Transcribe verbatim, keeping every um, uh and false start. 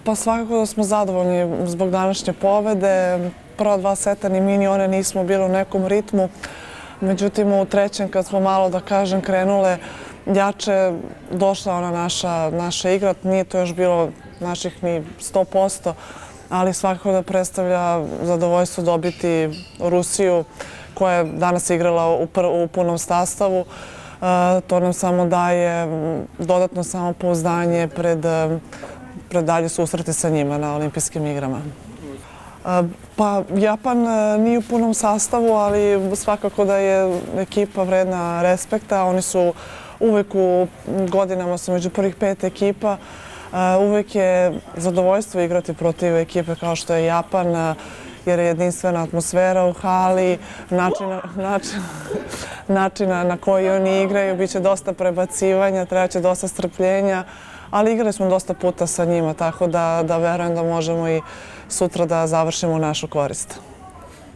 Pa svakako da smo zadovoljni zbog današnje pobede. Prva dva seta ni mi ni one nismo bili u nekom ritmu. Međutim, u trećem kad smo malo, da kažem, krenule jače, došla ona naša, naša igra. Nije to još bilo naših ni sto posto, ali svakako da predstavlja zadovoljstvo dobiti Rusiju koja je danas igrala u, u punom sastavu. To nam samo daje dodatno samopouzdanje pred, pred dalje susrete sa njima na olimpijskim igrama. Pa Japan nije u punom sastavu, ali svakako da je ekipa vredna respekta. Oni su uvek u godinama su među prvih pet ekipa. Uvek je zadovoljstvo igrati protiv ekipe kao što je Japan, jer je jedinstvena atmosfera u hali, načina, način, načina na koji oni igraju, bit će dosta prebacivanja, treba će dosta strpljenja, ali igrali smo dosta puta sa njima, tako da, da verujem da možemo i sutra da završimo u našu korist.